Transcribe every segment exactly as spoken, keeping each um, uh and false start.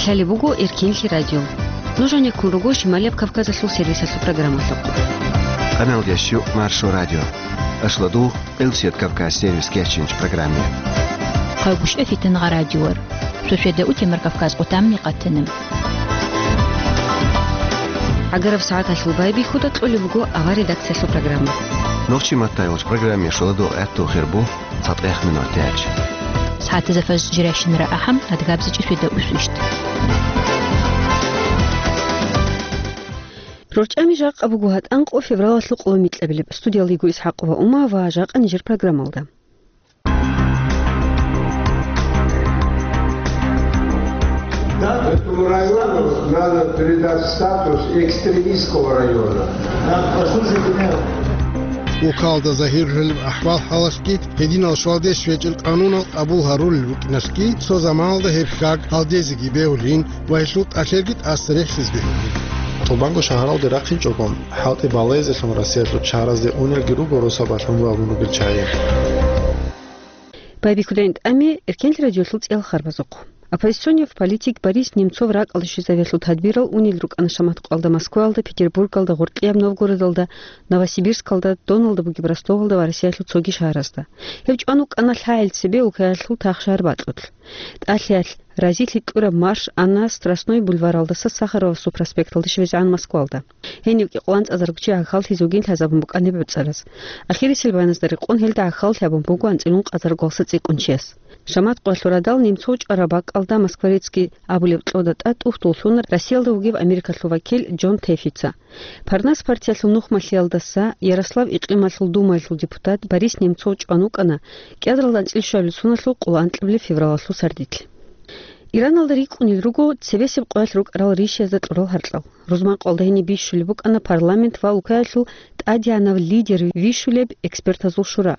Лъалеб буго Эркенлъи радио. Нуж гьанеккун руго Шималияб Кавказалъул сервисалъул программалъухъ. Къаналдеш ю Маршо радио. Ашладу Элсет Кавказ сервис кечинч программе. Хъагушев Фитангъа радиор. Шошеда утемар Кавказ къутамми къатанам. ГӀагараб сагӀаталъул байбихьуда кьолеб буго авар редакциялъул программа. Нохчи маттайгъуч программе шоладу гӀатту хирбу. ЦатӀех минутач. СагӀатазда фажр жирашинра ахӀам, адгабзичӀи шведа усвищт. РорчӀами жакъа буго гьатӀан къо февралалъул къоло микьабилеб. Студиялиго Исхакъова Ума ва жакъа нижер программалда. Да, этому району надо передать статус экстремистского района. Да, послушайте меня. Улкалда загьирлъулеб ахӀвал-хӀалалъги, гьединал щвалдеш вечӀел къанунал къабул гьарулел рукӀиналъги, цо заманалда гьеб хьаг гьалдезеги бегьулин ва гьелъул тӀалъерги тӀаса рехсез бегьулин. ТӀубанго шагьаралде рахъинчӀого, хӀалтӀи балезелъун Россиялъул чаразде унелги руго росабалъун вагун ругел чагӀи. Байбихьудайин тӀами Эркенлъи радиолъул цӀиял харбазухъ. Оппозиционев политик Борис Немцов ракӀалде щвезавиялъул тадбирал унел рукӀана шамат къоялда Москваялда, Петербургалда, Гъоркьияб Новгородалда, Новосибирскалда, доналда бугеб Ростовалда ва Россиялъул цоги шагьаразда. Гьев чӀван вукӀана лъагӀел цебе улкаялъул тахшагьар бакьулъ. ТӀалъиялъ разилъи кьураб марш ана Страстной бульваралдаса Сахаровасул проспекталде щвезегӀан Москвалда. Гьенив кӀикъоялда анцӀазарго чи гӀахьаллъизе вугин лъазабун букӀана гьеб гӀуцӀараз. Ахирисел баяназда рекъон гьелда гӀахьаллъи гьабун буго анцӀила ункъазарго цӀикӀкӀунчияс. Шамат къоялъул радал Немцов чӀвараб бакӀалда Москворецкий абулеб кьода тӀад тӀухьдуллъуна Россиялда вугев Америкалъул вакил Джон Тэфица. Парнас партиялъул нухмалъиялдаса Ярослав икълималъул думаялъул депутат Борис Немцов чӀван вукӀана кӀиадаралда анцӀила щуабилеб соналъул къоло анкьабилеб февралалъул сардилъ. Ираналда рикӀкӀунел руго цебесеб къоялъ рукӀарал ришиязда кьурал гьаркьал. Рузман къоялда гьениб бищулеб букӀана парламент ва улкаялъул тӀадегӀанав лидер вищулеб экспертазул шура.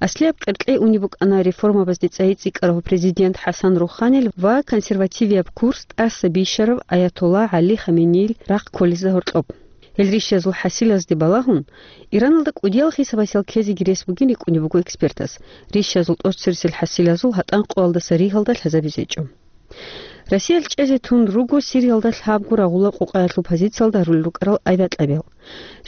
Аслияб къеркьей унеб букӀана реформабазде цӀайи цӀикӀкӀарав президент ХӀасан Руханил ва консервативияб курс тӀаса бищарав аятолла ГӀали Хаменеил рахъ кколезда гьоркьоб. Гьел ришиязул хӀасилазде балагьун, Ираналда кӀудиял хисабасел ккезеги рес бугин рикӀкӀунеб буго экспертаз. Ришиязул тӀоцересел хӀасилазул гьатӀан къоялдаса ригьалда лъазабизе гьечӀо. Россиялъ чӀезе тун руго Сириялда лъабго рагъула къукъаялъул позициялда гьарулел рукӀарал авиакьабиял.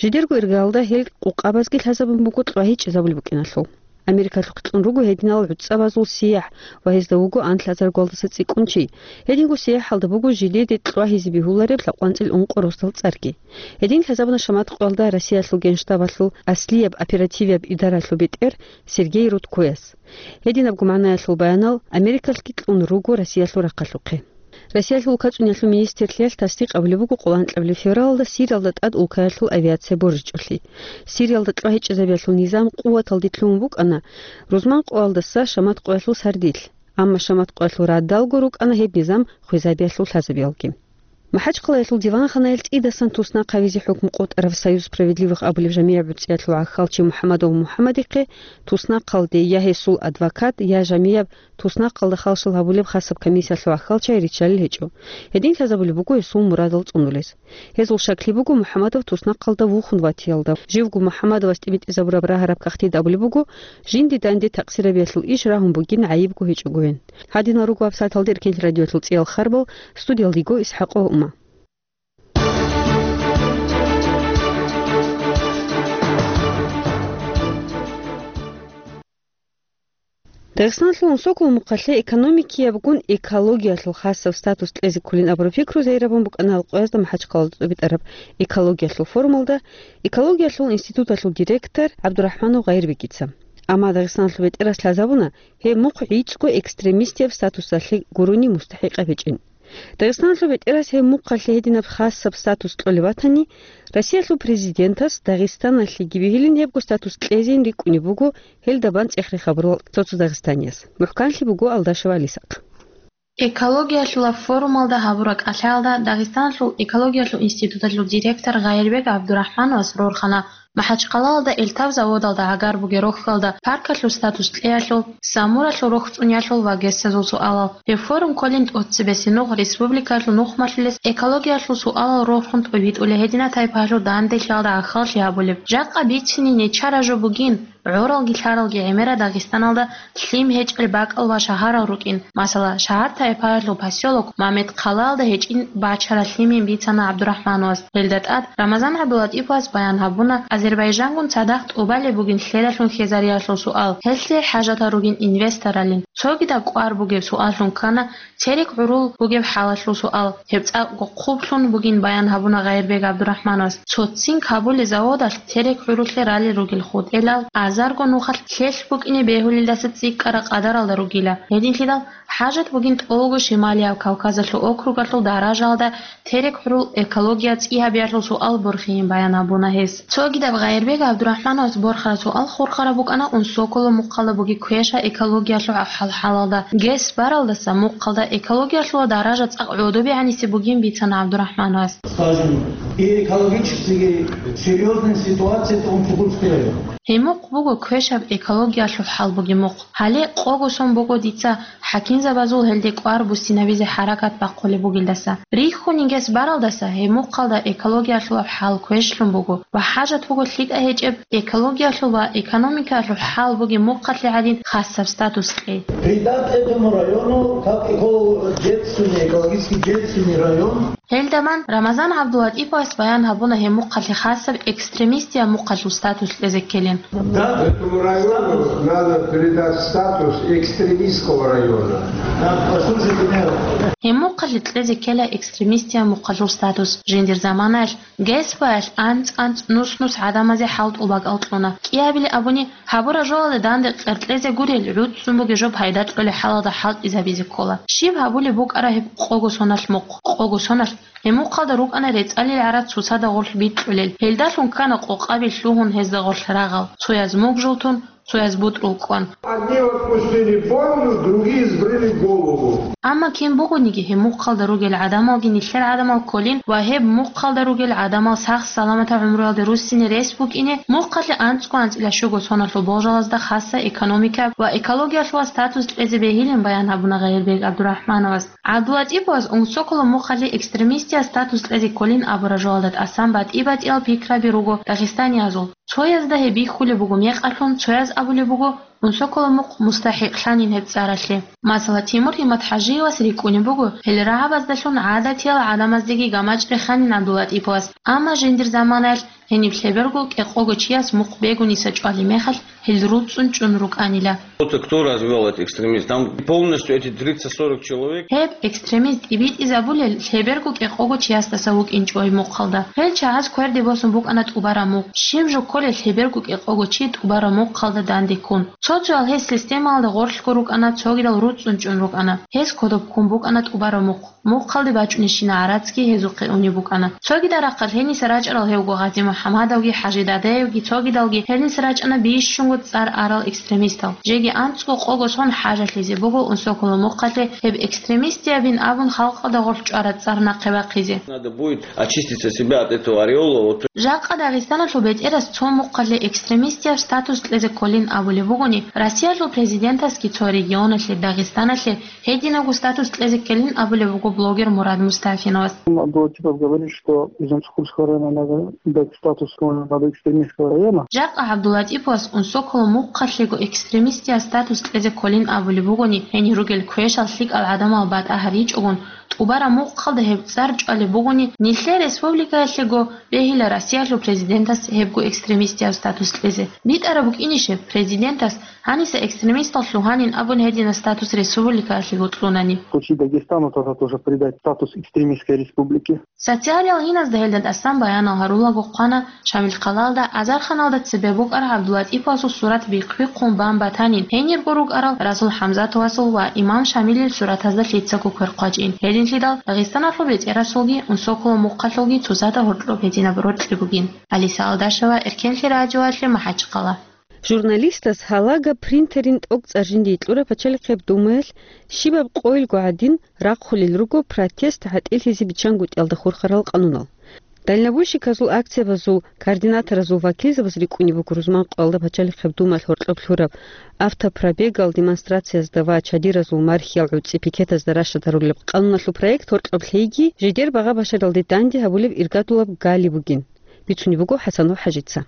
Жидерго иргаялда гьел къукъабазги лъазабун буго кьвагьи чӀезабулеб букӀиналъул. Америкалъухъ кьун руго гьединал гӀуцӀабазул сияхӀ ва гьезда вуго анлъазаргоялдаса цӀикӀкӀун чи. Гьединго сияхӀалда буго жидеде кьвагьизе бегьулареб лъабкъоялда анцӀила ункъо росдал цӀарги. Гьедин лъазабуна шамат къоялда Россиялъул Генштабалъул аслияб оперативияб идаралъул бетӀер Сергей Рудкояс. Гьединабго магӀнаялъул баянал Америкалъги кьун руго Россиялъул рахъалъухъе. Россиялъул улкацӀуниялъул министрлъиялъ тасдикъ абулеб буго къоло анкьабилеб февралалда Сириялда тӀад улкаялъул авиация боржичӀолъи. Сириялда кьвагьи чӀезабиялъул низам къуваталде лъугьун букӀана рузман къоялдаса шамат къоялъул сардилъ, амма шамат къоялъул радалго рукӀана гьеб низам хвезабиялъул лъазабиялги. МахӀачхъалаялъул диванханаялъ цӀидасан туснахъ гьавизе хӀукму къотӀарав «Союз справедливых» абулеб жамигӀаб гӀурцӀиялъул гӀахьалчи МухӀамадов МухӀамадихъе туснахъалде я гьесул адвокат, я жамигӀаб туснахъалда халшал гьабулеб хасаб комиссиялъул гӀахьалчи риччалел гьечӀо. Гьедин лъазабулеб буго гьесул мурадал цӀунулес. Гьезул шаклъи буго МухӀамадов туснахъалда вухун ватиялда. Живго МухӀамадовас тӀибитӀизабураб рагьараб кагътида абулеб буго, жинди данде такъсирабиялъул иш рагьун бугин гӀайибго гьечӀогойин. Гьадинал руго гьаб сагӀаталда Эркенлъи радиоялъул цӀиял харбал, студиялда йиго Исхакъова Ума. Дагъистаналъул унсокол мухъалъе экономикиябгун экологиялъул хасаб статус кьезе кколин абураб пикру загьирабун букӀана Алкъоязда МахӀачхъалалда тӀубитӀараб экологиялъул форумалда экологиялъул институталъул директор ГӀабдурахӀманов Гъайирбегица. Амма Дагъистаналъул бетӀерас лъазабуна гьеб мухъ гӀицӀго экстремистияб статусалъе гурони мустахӀикъаб гьечӀин. Дагъистаналъул бетӀерас гьеб мухъалъе гьединаб хасаб статус кьолеб батани, Россиялъул президентас Дагъистаналъеги бегьилин гьебго статус кьезейин рикӀкӀунеб буго гьелда бан цӀех-рех гьабурал цо-цо дагъистанияс. МухӀканлъи буго Алдашева Алисахъ. Экологиялъулаб форумалда гьабураб кӀалъаялда Дагъистаналъул экологиялъул институталъул директор Гъайирбек ГӀабдурахӀмановас рорхана МахӀачхъалалда элтав заводалда гӀагар бугеб рохьалда паркалъул статус кьеялъул, Самуралъул рохь цӀуниялъул ва гьесазул суалал. Гьеб форум кколин тӀоцебесеб нугӀ республикалъул нухмалъулес экологиялъул суалал рорхун тӀубитӀулей гьединаб тайпаялъул данделъиялда гӀахьаллъи гьабулеб. Жакъа бицине нечара жо бугин, ГӀоралги лъаралги гӀемерал Дагъистаналда лъим гьечӀел бакӀал ва шагьарал рукӀин. Масала, шагьар-тайпаялъул посёлок Мамед-Хъалаялда гьечӀин бачарал лъимин бицана ГӀабдурахӀмановас. Гьелда тӀад Рамазан ГӀабдулатӀиповас баян гьабуна Азербайжангун цадахъ тӀубалеб бугин лъелалъун хьезариялъул суал, гьелъие хӀажатал ругин инвесторалин. Цогидаб кӀвар бугеб суаллъун ккана терек гӀурул бугеб хӀалалъул суал. Гьеб цӀакъго хъублъун бугин баян гьабуна Гъайирбек ГӀабдурахӀмановас. Цоцин Кабуле заводалъ терек гӀурулъе ралел ругел хутӀелал азарго нухалъ лъелъ букӀине бегьулелдаса цӀикӀкӀараб къадаралда ругила. Гьединлъидал хӀажат бугин тӀолго Шималияб Кавказалъул округалъул даражаялда терек гӀурул экология цӀи гьабиялъул суал борхиин баян гьабуна гьес. Цогидаб Гъайирбек ГӀабдурахӀмановас борхараб суал хурхараб букӀана Унсоколо мухъалда бугеб квеша экологиялъул хӀал-хӀалалда. ГЭС баралдаса мухъалда экологиялъул даража цӀакъ гӀодобе гӀанисе бугин бицана ГӀабдурахӀмановас. Скажем, и экологически серьёзная ситуация в Унсокольский район. Гьемухъ буго квешаб экологиялъул хӀал бугеб мухъ. Гьале къого сон буго дица хӀакимзабазул гьелде кӀвар буссинабизе хӀаракат бахъулеб бугелдаса. Рихьунин гес баралдаса гьеб мухъалда экологиялъулаб хӀал квешлъун буго ва хӀажат буго лъикӀа гьечӀеб экологиялъул ва экономикаялъул хӀал бугеб мухъалъе гӀадин хасаб статус кьей. Придать этому району как эколо-, бедственный, экологически бедственный район. Гьелдаман Рамазан ГӀабдулатӀиповас баян гьабуна гьеб мухъалъе хасаб экстремистияб мухъалъул статус кьезе ккелин. Да, этому району надо придать статус экстремистского района. Да, послушайте меня. Гьеб мухъалъе кьезе ккела экстремистияб мухъалъул статус. Жиндир заманаялъ ГЭС-баялъ анцӀ-анцӀ, нус-нус гӀадамазе хӀалтӀул бакӀал кьуна. КӀиабилеб абуни, гьабураб жоялда данде къеркьезе гурел, гӀуцӀцӀун бугеб жо пайда кьолеб хӀалалда хӀалтӀизабизе ккола. Щиб гьабулеб букӀараб гьеб къого соналъ мухъ? Къого соналъ гьеб мухъалда рукӀана рецӀалил гӀарац цоцазда гъорлъ бикьулел. Гьелдалъун ккана къокъабил лъугьун гьезда гъорлъ рагъал. Цояз мугжул тун, цояз бутӀрул кӀван. Одни отпустили бороду, другие сбрили голову. Амма кин бугониги гьеб мухъалда ругел гӀадамалги нилъер гӀадамал кколин ва гьеб мухъалда ругел гӀадамал сах-саламатаб гӀумруялде руссине рес букӀине, мухъалъе анцӀго-анцӀила щуго соналъул болжалазда хасаб экономикаб ва экологиялъул статус кьезе бегьилин баян гьабуна Гъайирбек ГӀабдурахӀмановас. ГӀабдулатӀиповас Унсоколо мухъалъе экстремистияб статус кьезе кколин абураб жоялда тӀасан батӀи-батӀиял пикраби руго дагъистаниязул. Цоязда гьеб бихьулеб буго мекъалъун, цояз абулеб буго, Унсоколо мухъ мустахӀикълъанин гьеб цӀаралъе. Масала, Тимур ГьиматхӀажиевас рикӀкӀунеб буго, гьел рагӀабаздалъун гӀадатиял гӀадамаздеги гамачӀ реханин ГӀабдулатӀиповас, амма жиндир заманаялъ гьениб лъеберго кӀикъого чияс мухъ бегуниса чӀвалеб мехалъ, гьел руцӀцӀун чӀун рукӀанила. Кто-то, кто развивал этот экстремизм, там полностью эти тридцать-сорок человек. Гьеб экстремист тӀибитӀизабулел лъеберго кӀикъого чиясдаса вукӀинчӀо гьеб мухъалда. Гьел чагӀаз кверде босун букӀана тӀубараб мухъ. Щиб жо кколел лъеберго кӀикъого чи тӀубараб мухъалда данде ккун? Цо-цоял гьез системаялда гъорлъго рукӀана, цогидал руцӀцӀун чӀун рукӀана. Гьез кодоб ккун букӀана тӀубараб мухъ. Мухъалде бачӀунебщинаб гӀарацги гьезухъе унеб букӀана. Цогидал рахъалъ гьениса рачӀарал гьевго Гъази МухӀамадовги ХӀажи Дадаевги, цогидалги гьениса рачӀана бищунго цӀар арал экстремистал. Жеги анцӀго къого сон хӀажалъизе буго Унсоколо мухъалъе гьеб экстремистиябин абун халкъалда гъорлъ чӀвараб цӀар нахъе бахъизе. Надо будет очистить от себя от этого ореола, вот. Жакъа Дагъистаналъул бетӀерас цо мухъалъе экстремистияб статус кьезе кколин абулеб бугони, Россиялъул президентасги цо регионалъе, Дагъистаналъе, гьединабго статус кьезе ккелин абулеб буго блогер Мурад Мустафиновас. Абдулатипов говорит, что из Унсокольского района надо дать статус экстремистского района. Жакъа ГӀабдулатиповас Унсоколо мухъалъего экстремистияб статус кьезе кколин абулеб бугони, гьенир ругел квешал лъикӀал гӀадамал батӀа гьаричӀогун, тӀубараб мухъалда гьеб цӀар чӀвалеб бугони, нилъер республикаялъего бегьила Россиялъул президентас гьебго экстремистияб статус кьезе. БитӀараб букӀинищеб, президентас гьаниса экстремистал лъугьанин абун гьединаб статус республикаялъего кьунани? В случае Дагестана тогда тоже придать статус экстремистской республики. Социалиял гьиназда гьелда тӀасан баянал гьарулаго хъвана Шамилхъалалда азарханалда цебе букӀараб ГӀабдулатӀиповасул сурат бихъ-бихъун бан батанин, гьенирго рукӀарал Расул ХӀамзатовасул ва имам Шамилил суратазда лъицаго квер хъвачӀин. Гьединлъидал Дагъистаналъул бетӀерасулги Унсоколо мухъалъулги цоцазда гьоркьоб гьединаб рокьи бугин. Алиса Алдашева, Эркенлъи радиоялъе, МахӀачхъала. Журналистас гьалагаб принтерин тӀокӀцӀар жиндие кьураб Пачалихъеб Думаялъ щибаб къойилго гӀадин рахъулел руго протест гӀатӀилъизе биччангутӀиялда хурхарал къанунал. Дальнобойщиказул акциябазул координаторазул вакилзабаз рикӀкӀунеб буго рузман къоялда Пачалихъеб Думаялъ гьоркьоб лъураб автопробегал, демонстрациязда ва чадиразул мархиял гӀуцӀи пикетазда рашадарулеб къануналъул проект гьоркьоб лъейги, жидер багъа-башаралде данде гьабулеб иргадулаб гали бугин. Бицунеб буго ХӀасанов ХӀажица.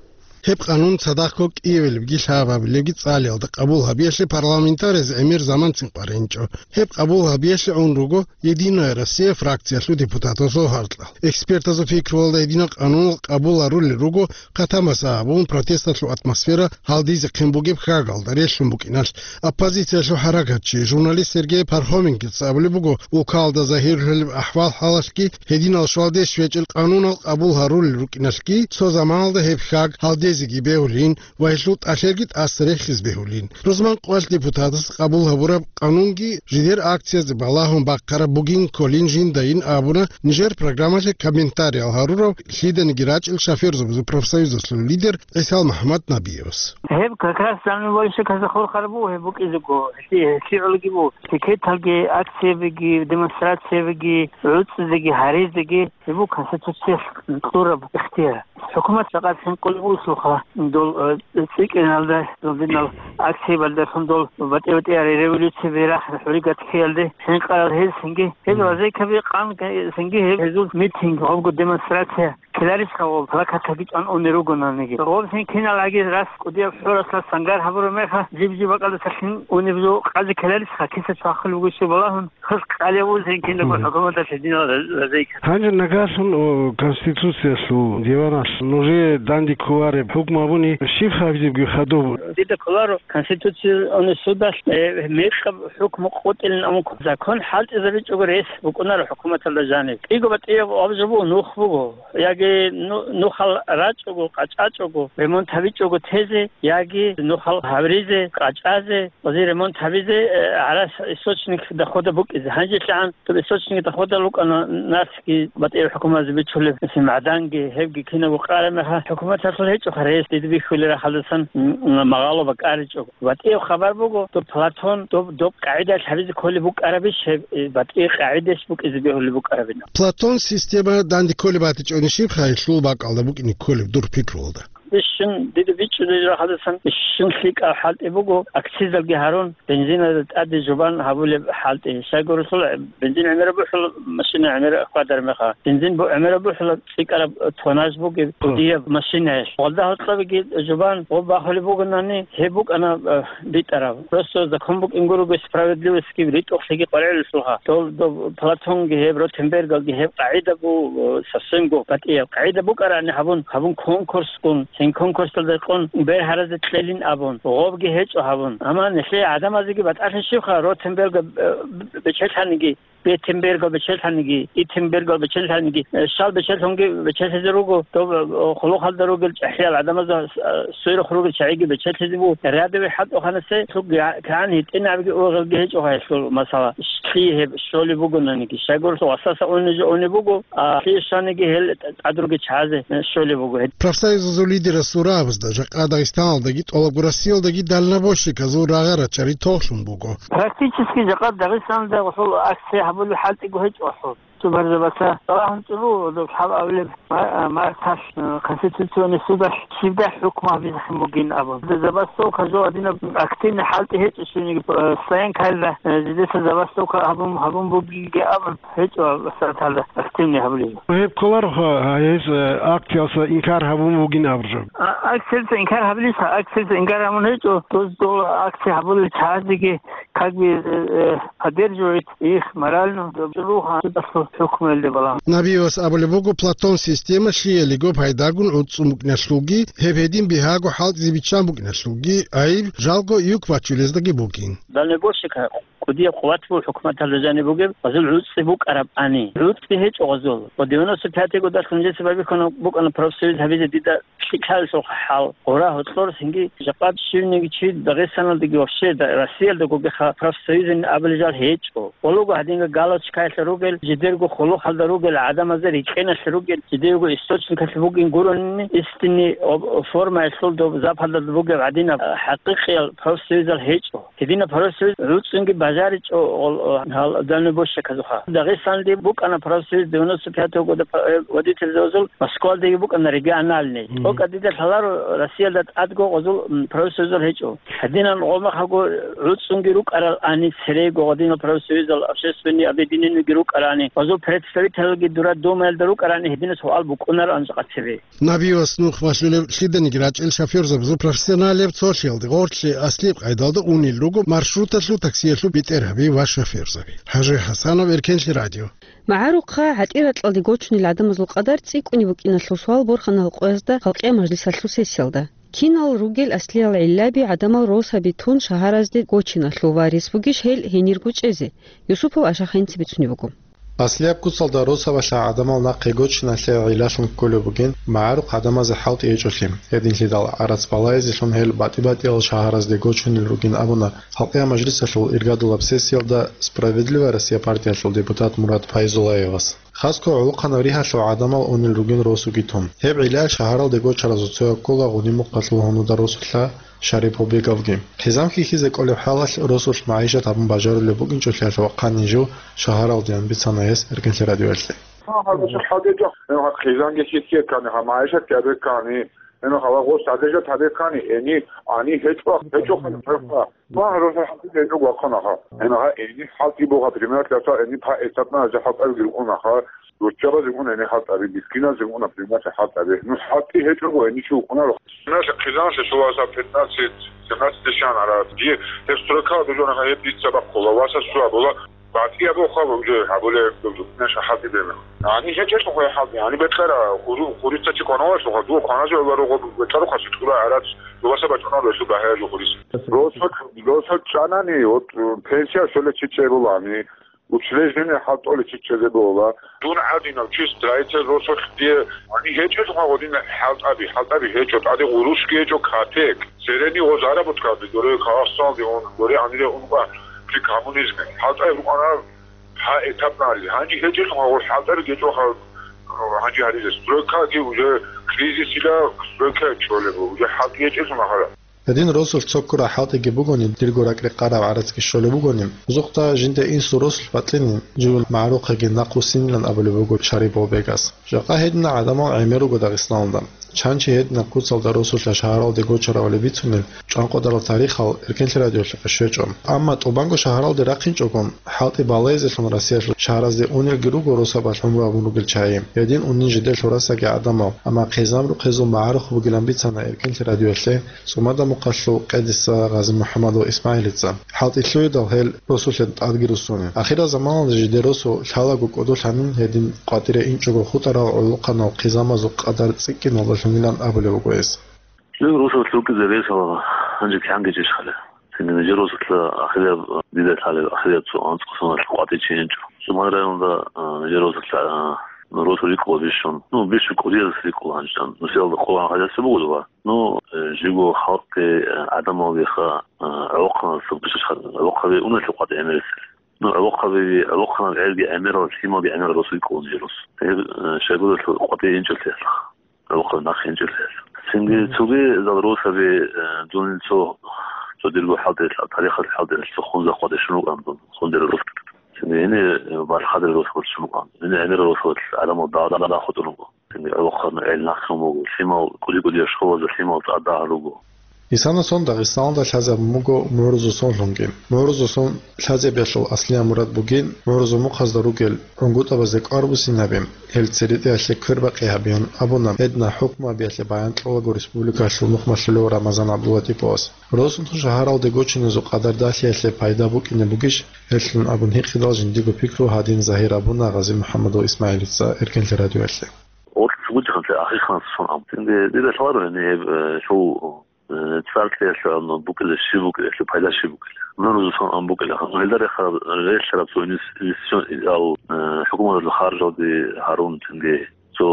Гьеб къанун цадахъго кӀиявилебги лъабабилебги цӀалиялда къабул гьабиялъе парламентарияз гӀемер заман цин къваригӀинчӀо. Гьеб къабул гьабиялъе гӀун руго «Единая Россия» фракциялъул депутатазул гьаркьал. Экспертазул пикруялда, гьединал къануналъ къабул гьарулел руго хъатамаса абун протесталъул атмосфера гьалдизехъин бугеб хьагалда релълъун букӀиналъ. Оппозициялъул хӀаракатчи, журналист Сергей Пархоменкица абулеб буго, улкалда загьирлъулеб ахӀвал-хӀалалъги, гьединал щвалде щвечӀел къанунал къабул гьарулел рукӀиналъги, цо заманалда гьеб хьаг гьалдезеги бегьулин ва гьелъул тӀалъерги тӀаса рехизе бегьулин. Рузман къвалъ депутатас къабул гьабураб къанунги жидер акциязде балагьун бахъараб бугин кколин жинда ин абуна нижер программалъе комментариял гьарурав лъиданиги рачӀел шоферзабазул профсоюзалъул лидер ГӀисал МухӀаммад Набиевас. Гьеб как раз заман валища каза хурхарабу гьеб букӀизего, гьелъи-, гьелъигӀулгибу, пикеталги, акциябиги, демонстрациябиги, гӀуцӀизеги, гьаризеги, гьеб бу Конституциялъ кьураб ихтияр. ХӀукумат жакъа хӀинкъулеб бугелъулха, дол, э, цӀикӀкӀиналда, дол динал акциябалдалъун дол батӀи-батӀиял революция берахъ хӀуригат ккеялде хӀинкъарал гьез цинги, гьез Мгм. вазейкаби къан цинги гьеб гьезул митинг, гъобго демонстрация ккеларищха ва плакатаги чӀван унел ругонаниги. Гъобсин кинал аги рас кӀудияб хӀурасла сангар гьабураб мехалъ, жиб-жиб бакӀалдасалъин унеб жо къазе ккеларищха, киса чвахулеб бугищ балагьун, хъус къалев вузин кинабго Мгм. хӀукуматалъе динал ра-, разейкат. Гьанже нагагьлъун, о, Конституциялъул диваналъ нужее данде кколареб хӀукму абуни щиб гьабизебги хадуб? Дида кколаро Конституционный судалъ, э, мекъаб хӀукму къотӀилин амун закон хӀалтӀизабичӀого рес букӀунаро хӀукуматалда жаниб. КӀиго батӀияб аб жо буго, нух буго. Яги ну-, нухал рачӀого, къачӀачӀого, ремонт гьабичӀого тезе, яги нухал гьабризе, къачӀазе, ози ремонт гьабизе, э, гӀарас источник дохода букӀизе. Гьанже лъагӀан доб источник дохода лукӀана нарсги батӀияб хӀукуматазе бичулеб, мисал, магӀданги, гьебги кинабго къараб мехалъ, хӀукуматалъул гьечӀоха рес дида бихьулел рахъалдасан, м, м, магъало бакӀаричӀого. БатӀияб хабар буго, доб Платон, доб, доб къагӀидаялъ гьабизе кколеб букӀарабищ гьеб, э, батӀи къагӀидаялъ букӀизе бегьулеб букӀарабина. Платон система данде кколеб батичӀони щибха гьелъул бакӀалда букӀине кколеб дур пикруялда? Бищун дида бичӀчӀулел рахъалдасан бищун лъикӀаб хӀалтӀи буго, акцизалги гьарун, бензиналда тӀаде жубан гьабулеб хӀалтӀи. Щайгурелъул бензин гӀемераб бухӀула, машина гӀемераб хьвадар мехалъ. Бензин бу-, гӀемераб бухӀула цӀикӀкӀараб тоннаж бугеб Мгм. кӀудияб машинаялъ. Гъолда гьоркьобиги жубан гъоб бахулеб бугонани, гьеб букӀана, э, битӀараб. Просто закон букӀин гуруго, справедливостьги ритӀухълъиги къваригӀелъулха. Дол, доб Платонги гьеб, Ротенбергалги гьеб къагӀида бу, э, совсемго батӀияб. КъагӀида букӀарани гьабун, гьабун конкурсгун, гьин конкурсалда къон бер гьаразе кьелин абун, гъобги гьечӀо гьабун. Амма нилъее гӀадамазеги батӀалъи щибха, Ротенберга, э, б-, б-, бечелъаниги, Бетенбергал бечелъаниги, Итенбергал бечелъаниги, э, щал бечелъунги бечелъизе руго, доб, э, хъулухъалда ругел чӀахӀиял гӀадамазда, э, сверухъ ругел чагӀиги бечелъизе буго. Рядовый хӀалтӀухъанасе лъугӀа-, кагӀан гьитӀинабги ургъелги гьечӀо гьелъул масала. Лъие гьеб щолеб бугонаниги, щайгурелъул васаса унезе унеб буго, а лъие щаниги гьел тӀадруги чагӀазе, э, щолеб буго гьеб. Профсоюзазул лидерас абурабазда, жакъа Дагъистаналдаги тӀолабго Россиялдаги дальнобойщиказул рагъа-рачари толъун буго. Практически жакъа Дагъистаналда гъосул акция гьабулеб хӀалтӀиго гьечӀо гъосул. Субарзабаса балагьун чӀуру доб лъабабилеб ма-, марталъ, э, Конституционный судалъ щибдай хӀукму гьабизехъин бугин абун. Забастовка жо гьадинаб активный хӀалтӀи гьечӀо щуниги, э, стоянкаялда, э, жидеца забастовка гьабун, гьабун бугинги абун гьечӀо сагӀаталда активный гьабулеб. Гьеб кколароха, гьес, э, акциялъа инкар гьабун бугин абураб жо. А, акциялъа инкар гьабилищха, акциялъа инкар гьабун гьечӀо, доз дола акция гьабулел чагӀазеги как бы, э, э, поддерживает их морально, доб чӀуру гьанже хӀукмуялде балагьун. Набиевас абулеб буго, Платон система лъиялиго пайдагун гӀуцӀцӀун букӀиналъулги, гьеб гьедин бигьаго хӀалтӀизе биччан букӀиналъулги, гӀайиб жалго юк бачулездаги бугин. Дальнобойщика кӀудияб къуват буго хӀукуматалда жаниб бугеб, гъазул гӀуцӀцӀи букӀарабани. ГӀуцӀцӀи гьечӀо гъазул. Ва девяносто пятый годалъ гьанжеца байбихьана букӀана профсоюз гьабизе дида лъикӀлъалъул хӀал. Гъура гьоркьор цинги жакъа щивниги чи Дагъистаналдаги вообще да-, Россиялда гугеха профсоюзин абулел жал гьечӀо. Гъолого гьадинга галочкаялъ ругел, жидерго хъулухъалда ругел, гӀадамазда рикӀкӀеналъ ругел, жидерго источникалъ бугин гуронни, истинный об-, формаялъул доб западалда бугеб гӀадинаб, а, хӀакъикъиял профсоюзал гьечӀо. Гьединаб профсоюз гӀуцӀцӀунги баж-, Жаричо гъол, гьал дальнобойщиказухъа. Дагъистаналде букӀана профсоюз девяносто пятого года, э, водительзабазул, Москвалдаги букӀана региональный. Мгм. ТӀокӀаб дида лъаларо Россиялда тӀадго гъозул, м, профсоюзал гьечӀо. Гьадинан гъомахаго гӀуцӀцӀунги рукӀарал ани, церего гъадинал профсоюзал, общественный объединениеги рукӀарани, гъозул представителалги дура Думаялда рукӀарани гьединас гьуал букӀунаран жакъа цебе. Набиевас нух малъулеб лъиданиги рачӀел шофёрзабазул профессионалияб цолъиялде гъорлъе аслияб къайдалда унел руго маршруталъул, таксиялъул бетӀергьаби ва шофёрзаби. ХӀажи ХӀасанов, Эркенлъи радио. МагӀарухъа гӀатӀи-ракьалде гочунел гӀадамазул къадар цӀикӀкӀуне букӀиналъул суал борханал къоязда Халкъиял мажлисалъул сессиялда. Кинал ругел аслиял гӀиллаби гӀадамал росаби тун шагьаразде гочиналъул ва рес бугищ гьел гьенирго чӀезе? Юсупов Ашахинца бицунеб буго. Аслияб куцалда росабалъа гӀадамал нахъе гочиналъе гӀиллалъун кколеб бугин, магӀарухъ гӀадамазе хӀалтӀи гьечӀолъи. Гьединлъидал гӀарац балайзелъун гьел батӀи-батӀиял шагьаразде гочунел ругин абуна Халкъиял мажлисалъул иргадулаб сессиялда «Справедливая Россия» партиялъул депутат Мурад Файзуллаевас. Хасго гӀолохъанаб ригьалъул гӀадамал унел ругин росуги тун. Гьеб гӀиллаялъ шагьаралде гочаразул цояв ккола Гъунимухъалъул гьунуда росулъа Шарипов Беговги. Хъизан хьихьизе кӀолеб хӀалалъ росулъ магӀишат гьабун бажарулеб букӀинчӀолъиялъ вахъанин жив шагьаралдеян бицана гьес Эркенлъи радиоялъе. Гьанже хӀалдеж, хъизанги хьихьеккани, гьа магӀишатги абеккани, гьанже гъос гьадежат гьабеккани, гьени, гьани гьечӀо, гьечӀо хъалихъа. Ва гьарусал хӀалтӀи гьечӀого вахъанаха. Гьанже гьа гьени хӀалтӀи буго, пример, лъаса гьени паэтапна гьазе хӀалтӀаби гьикъунаха. Руччабазе гьикъуна гьени хӀалтӀаби, мискиназего гьикъуна, пример, хӀалтӀаби. Ну, хӀалтӀи гьечӀого гьени чи вукъунаро. Наша хъизанлъи шуласа пятнадцать семнадцать дешан ара. Дие гьеб стройкала дужонаха гьеб дица бахъула, васа суа була. БатӀияб хъал уже гьабулеб, наша хӀалтӀи бегьула. Гьани гьечӀелъухъе хӀалтӀи, гьани бетӀера, хуру-, хурица чи кваналъухъа, дуо кваназе ва рогъо бетӀерухъа сутӀула гӀарац, дуаса бачӀунал релъу багьаяб жо хурис. Росулъ, росулъ чӀанани, вот, пенсия щоле чи чӀебулани, учреждение хӀалтӀоле чи чӀезе була. Дун гӀадинав чи строитель росулъ дие, гьани гьечӀелъухъа гъодин хӀалтӀаби, хӀалтӀаби гьечӀо, тӀаде гъурушги гьечӀо, катек. Церени гъоз гьараб буткаби, доре Казахстаналде ун, доре гьанире ункъа при коммунизме. ХӀалтӀаби рукъана гьа этапнали. Гьанже гьечӀелъухъа гъол хӀалтӀаби гьечӀоха, гьанже гьаризе. Стройкаги уже кризисила стройка чӀолеб, уже хӀалтӀи гьечӀелъул махара. Гьедин росулъ цо ккураб хӀалтӀиги бугони, дирго ракӀ-рекъараб гӀарацги щолеб бугони, узухъда жинда инсул росулъ батӀинин, живго магӀарухъеги нахъвуссинилан абулеб буго Шарипов Бегас. Жакъа гьединал гӀадамал гӀемер руго Дагъистаналда. Чанчи гьединаб куцалда росулъа шагьаралде гочаравали бицунел чӀванкъодарал тарихал Эркенлъи радиолъухъе щвечӀо. Амма тӀубанго шагьаралде рахъинчӀогон, хӀалтӀи балайзелъун Россиялъул шагьаразде унелги руго росабалъ гӀумру гьабун ругел чагӀи. Гьедин унин жидер лъурасаги гӀадамал, амма хъизан рухъезул магӀарухъ бугилан бицана Эркенлъи радиоялъе ЦӀумада Мухъалъул къедиса Гъази-МухӀамадов Исмагьилица. ХӀалтӀи лъугьидал гьел росулъе тӀадги руссунеб. Ахирал заманалда жидер росу лъалаго кӀодолъанин, гьедин къватӀире инчӀого хутӀарал гӀолохъанал хъизамазул къадар цӀикӀкӀиналдалъунилан абулеб буго гьес. Жив росулъ рукӀизе ресала гьанже кигӀан гьечӀищ хъале. Цинги нижер росулъа ахирияб, дида лъалеб, ахирияб цо анцӀго соналъ къватӀичи гьечӀо. ЦӀумада районалда, а, нижер росулъа, а, росу рикӀкӀула бищун. Ну, бищун кӀудияс рикӀкӀула гьанждан. Нусиялда къулан гьадиса бугода ва, ну, э, живго халкъги, э, гӀадамалгиха, э, гӀолохъанал сабгъищ хъале. ГӀолохъаби уналъе къватӀи гӀемерисел. Ну, гӀолохъаби, гӀолохъанал гӀелги гӀемерал, лъималги гӀемерал росу рикӀкӀула нижер рос. Гьеб, э, щайгурелъул къватӀи гьечӀолъиялъ. ГӀолохъаби нахъ гьечӀолъиялъ. Цинги цогидал росаби, э, дун цо, цо дирго хӀалтӀи, тарихалъул хӀалтӀи, цо хунза къватӀи щун вукӀан дун, хундерал рос. Цинги гьениб, э, балъ хадурал рос щун вукӀан. Гьениб гӀемерал росулъ гӀадамал дагъ-дагъ хутӀун вуго. Цинги гӀолохъанал гӀел нахъ буго, лъимал кӀуди-кӀудияб школазда лъимал цӀар дагьал руго. Исана сон Дагъистаналда лъазабун буго МугӀрузул сон лъунги. МугӀрузул сон лъазабиялъул аслияб мурад бугин, МугӀрузул мухъазда ругел гӀунгутӀабазде кӀвар буссинаби, гьел церетӀиялъе квербакъи гьабеян абуна, гьединал хӀукму гьабиялъе баян кьолаго республикалъул нухмалъулев Рамазан ГӀабдуллатиповас. Росулъ шагьаралде гочиназул къадар далъиялъе пайда букӀине бугищ гьелъун абун гьикъидал жиндиго пикру гьадин загьир гьабуна Гъази-МухӀамадов Исмагьилица Эркенлъи радиоялъе. Гъоркь цогидахъанлъи ахирхъанас сон ам. Цинги дида лъаларо гьениб, э, лъу, э, цӀар кьеялъул букӀизе щиб букӀине, лъу пайда щиб букӀине. МугӀрузул сон ам букӀине. Гьелда рехараб, релълъараб цо инвес-, инвестицион, ал, э, хӀукуматалъул харжалги гьарун, цинги цо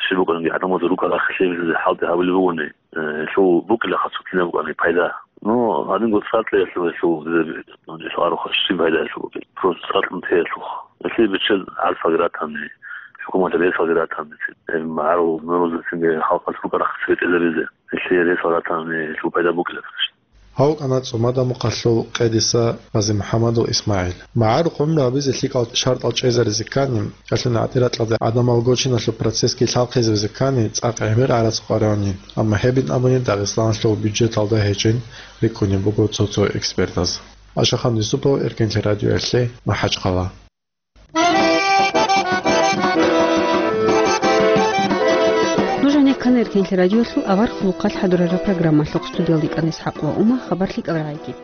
щиб букӀанги гӀадамазда рукӀа рахъ лъезабизе хӀалтӀи гьабулеб бугони, э, лъу букӀине хасутлъине букӀани пайда. Ну, гьанинго цӀар кьеялъул гьелъул, гьелъул арухъа щиб пайда гьелъул букӀин? Просто цӀар кьун теялъухъ. Гьелъие биччан гӀарцаги ратани, хӀукуматалъ ресалги ратани, гьеб магӀарул мугӀрузацинги халкъалъ рукӀа рахъ цебетӀезабизе. Гьелъие ресал ратани, гьелъул пайда букӀине. Гьав вукӀана ЦӀумада Мухъалъул къедиса ГъазимухӀамадул ИсмагӀил. МагӀарухъ гӀумру гьабизе лъикӀал шартӀал чӀезаризе ккани, ялъуни гӀатӀиракьалда гӀадамал гочиналъул процессги лъалхъизабизе ккани, цӀакъ гӀемер гӀарац къваригӀунин, амма гьебин абуни Дагъистаналъул бюджеталда гьечӀин рикӀкӀунеб буго цо-цо экспертаз. Ашахан Юсупов, Эркенлъи радиоялъе, МахӀачхъала. Нуж гьанеккана Эркенлъи радиолъул авар хъулухъалъ хӀадурараб программалъухъ. Студиялда йикӀана ИсхӀакъ ва Ума. Хабар лъикӀал рагӀиги.